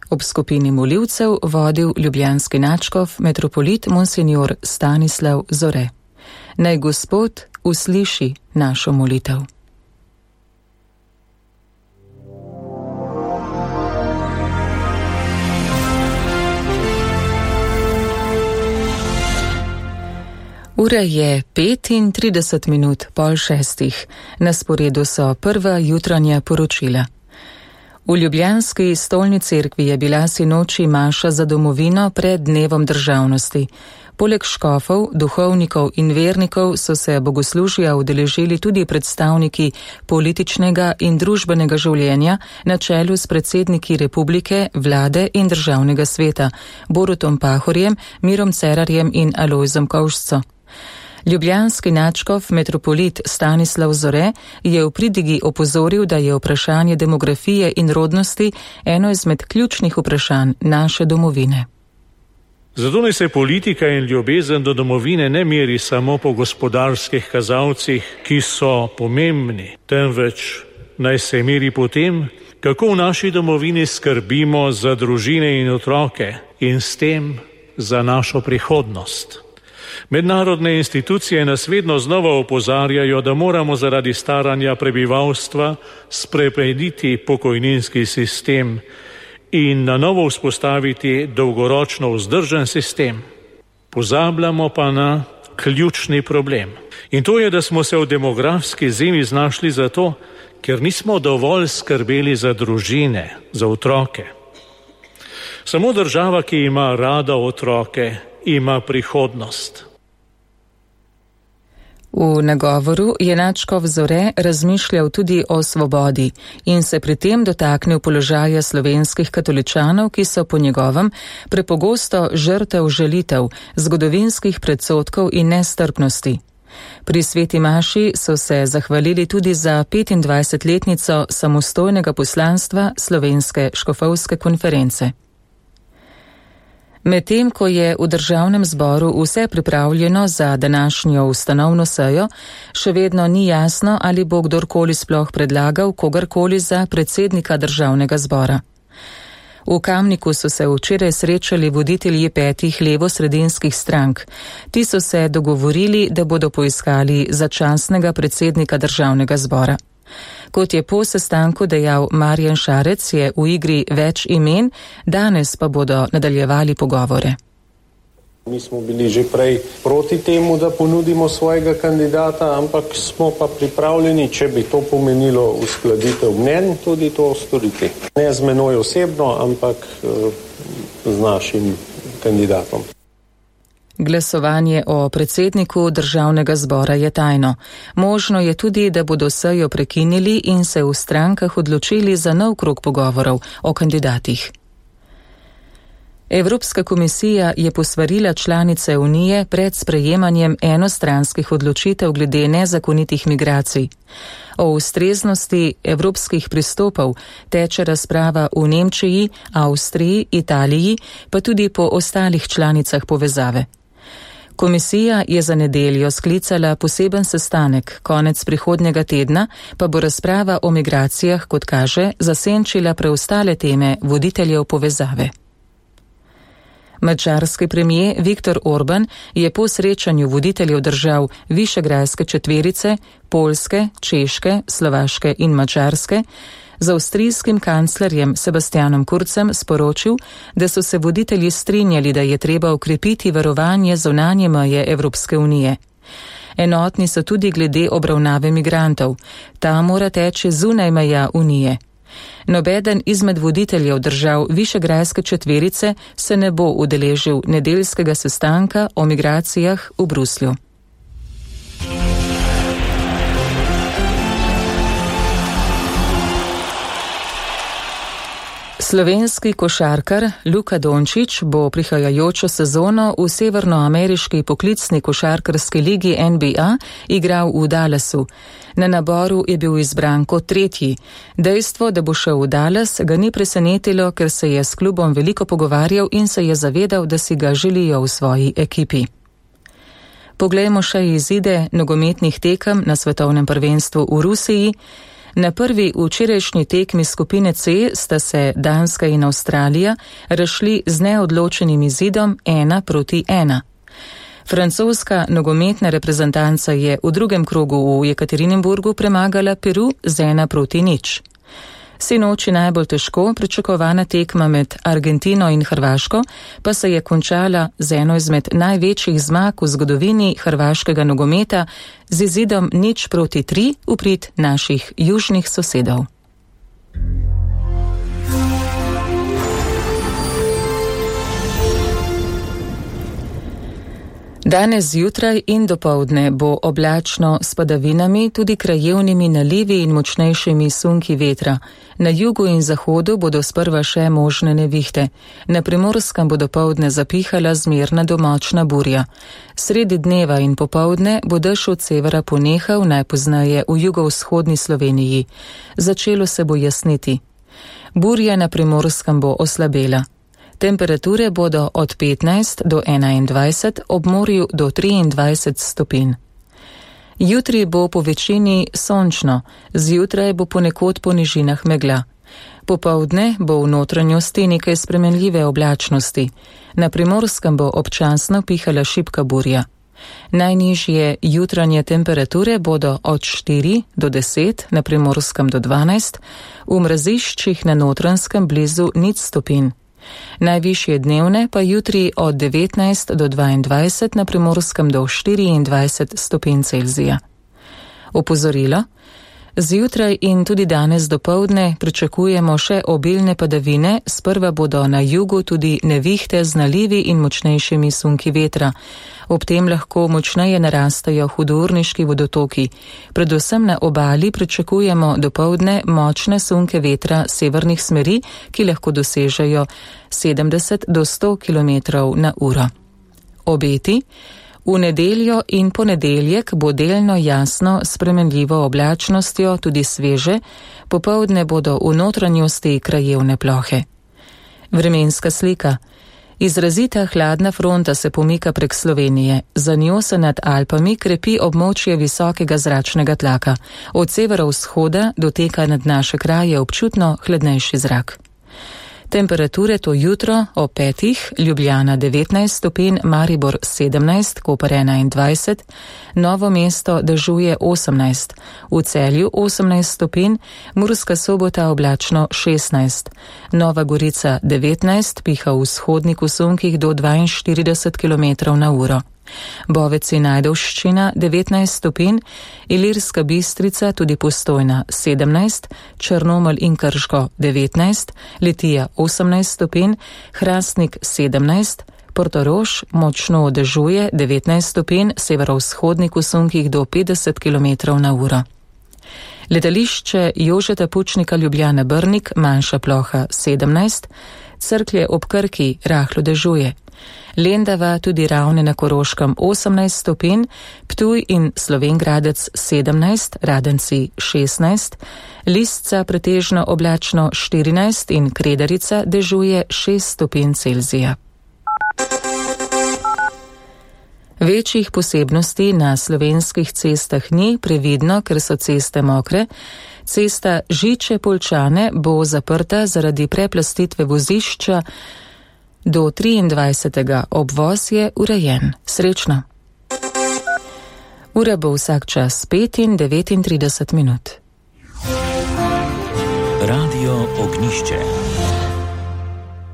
Ob skupini molivcev vodil ljubljanski nadškof metropolit monsignor Stanislav Zore. Naj Gospod usliši našo molitev. Ura je 5:35, na sporedu so prva jutranja poročila. V ljubljanski stolni cerkvi je bila sinoči maša za domovino pred dnevom državnosti. Poleg škofov, duhovnikov in vernikov so se bogoslužja udeležili tudi predstavniki političnega in družbenega življenja na čelu s predsedniki republike, vlade in državnega sveta, Borutom Pahorjem, Mirom Cerarjem in Alojzom Kovšco. Ljubljanski nadškof metropolit Stanislav Zore je v pridigi opozoril, da je vprašanje demografije in rodnosti eno izmed ključnih vprašanj naše domovine. Zato naj se politika in ljubezen do domovine ne meri samo po gospodarskih kazalcih, ki so pomembni, temveč naj se meri po tem, kako v naši domovini skrbimo za družine in otroke in s tem za našo prihodnost. Mednarodne institucije nas vedno znova opozarjajo, da moramo zaradi staranja prebivalstva spremeniti pokojninski sistem in na novo vzpostaviti dolgoročno vzdržen sistem. Pozabljamo pa na ključni problem. In to je, da smo se v demografski zimi znašli zato, ker nismo dovolj skrbeli za družine, za otroke. Samo država, ki ima rada otroke, ima prihodnost. V nagovoru je nadškof Zore razmišljal tudi o svobodi in se pri tem dotaknil položaja slovenskih katoličanov, ki so po njegovem prepogosto žrtev žalitev, zgodovinskih predsodkov in nestrpnosti. Pri sveti maši so se zahvalili tudi za 25-letnico samostojnega poslanstva Slovenske škofovske konference. Medtem ko je v državnem zboru vse pripravljeno za današnjo ustanovno sejo, še vedno ni jasno, ali bo kdorkoli sploh predlagal kogarkoli za predsednika državnega zbora. V Kamniku so se včeraj srečali voditelji 5 levosredinskih strank. Ti so se dogovorili, da bodo poiskali začasnega predsednika državnega zbora. Kot je po sestanku dejal Marjan Šarec, je v igri več imen, danes pa bodo nadaljevali pogovore. Mi smo bili že prej proti temu, da ponudimo svojega kandidata, ampak smo pa pripravljeni, če bi to pomenilo uskladitev mnenj, tudi to storiti. Ne z menoj osebno, ampak z našim kandidatom. Glasovanje o predsedniku državnega zbora je tajno. Možno je tudi, da bodo sejo prekinili in se v strankah odločili za nov krog pogovorov o kandidatih. Evropska komisija je posvarila članice Unije pred sprejemanjem enostranskih odločitev glede nezakonitih migracij. O ustreznosti evropskih pristopov teče razprava v Nemčiji, Avstriji, Italiji, pa tudi po ostalih članicah povezave. Komisija je za nedeljo sklicala poseben sestanek, konec prihodnjega tedna pa bo razprava o migracijah, kot kaže, zasenčila preostale teme voditeljev povezave. Madžarski premijer Viktor Orban je po srečanju voditeljev držav Višegrajske četverice, Poljske, Češke, Slovaške in Madžarske z avstrijskim kanclerjem Sebastianom Kurzem sporočil, da so se voditelji strinjali, da je treba okrepiti varovanje zunanje meje Evropske unije. Enotni so tudi glede obravnave migrantov. Ta mora teči zunaj meja unije. Nobeden izmed voditeljev držav Višegrajske četverice se ne bo udeležil nedeljskega sestanka o migracijah v Bruslju. Slovenski košarkar Luka Dončić bo prihajajočo sezono v severnoameriški poklicni košarkarski ligi NBA igral v Dallasu. Na naboru je bil izbran kot 3. Dejstvo, da bo šel v Dallas, ga ni presenetilo, ker se je s klubom veliko pogovarjal in se je zavedal, da si ga želijo v svoji ekipi. Poglejmo še izide nogometnih tekem na svetovnem prvenstvu v Rusiji. Na prvi včerajšnji tekmi skupine C sta se Danska in Avstralija razšli z neodločenim izidom 1-1. Francoska nogometna reprezentanca je v drugem krogu v Jekaterinburgu premagala Peru z 1-0. Sinoči najbolj težko pričakovana tekma med Argentino in Hrvaško pa se je končala z eno izmed največjih zmag v zgodovini hrvaškega nogometa z izidom 0-3 v prid naših južnih sosedov. Danes zjutraj in dopoldne bo oblačno s padavinami, tudi krajevnimi nalivi in močnejšimi sunki vetra. Na jugu in zahodu bodo sprva še možne nevihte. Na Primorskem bo dopoldne zapihala zmerna do močna burja. Sredi dneva in popoldne bo dež od severa ponehal, najpozneje v jugovzhodni Sloveniji. Začelo se bo jasniti. Burja na Primorskem bo oslabela. Temperature bodo od 15 do 21, ob morju do 23 stopinj. Jutri bo po večini sončno, zjutraj bo ponekod po nižinah megla. Popoldne bo v notranjosti nekaj spremenljive oblačnosti. Na Primorskem bo občasno pihala šibka burja. Najnižje jutranje temperature bodo od 4 do 10, na Primorskem do 12, v mraziščih na Notranjskem blizu 0 stopinj. Najvišje dnevne pa jutri od 19 do 22, na Primorskem do 24 stopinj Celzija. Opozorilo: zjutraj in tudi danes dopoldne pričakujemo še obilne padavine, sprva bodo na jugu tudi nevihte z nalivi in močnejšimi sunki vetra. Ob tem lahko močneje narastajo hudourniški vodotoki. Predvsem na obali pričakujemo dopoldne močne sunke vetra severnih smeri, ki lahko dosežejo 70 do 100 km/h. Obeti: v nedeljo in ponedeljek bo delno jasno s spremenljivo oblačnostjo, tudi sveže, popoldne bodo v notranjosti krajevne plohe. Vremenska slika. Izrazita hladna fronta se pomika prek Slovenije. Za njo se nad Alpami krepi območje visokega zračnega tlaka. Od severovzhoda doteka nad naše kraje občutno hladnejši zrak. Temperature to jutro ob 5, Ljubljana 19 stopinj, Maribor 17, Koper 21, Novo mesto dežuje 18, v Celju 18 stopinj, Murska Sobota oblačno 16, Nova Gorica 19, piha v vzhodnih sunkih do 42 km/h. Bovec in Ajdovščina 19 stopinj, Ilirska Bistrica tudi Postojna 17, Črnomelj in Krško 19, Litija 18 stopinj, Hrastnik 17, Portorož močno dežuje 19 stopinj, severovzhodnih sunkih do 50 km/h. Letališče Jožeta Pučnika Ljubljana Brnik, manjša ploha 17, Cerklje ob Krki rahlo dežuje. Lendava, tudi Ravne na Koroškem 18 stopinj, Ptuj in Slovenj Gradec 17, Radenci 16, Lisca pretežno oblačno 14 in Kredarica dežuje 6 stopinj Celzija. Večjih posebnosti na slovenskih cestah ni, previdno, ker so ceste mokre. Cesta Žiče-Poljčane bo zaprta zaradi preplastitve vozišča do 23. Obvoz je urejen. Srečno. Ura bo vsak čas 5 in 39 minut. Radio Ognjišče.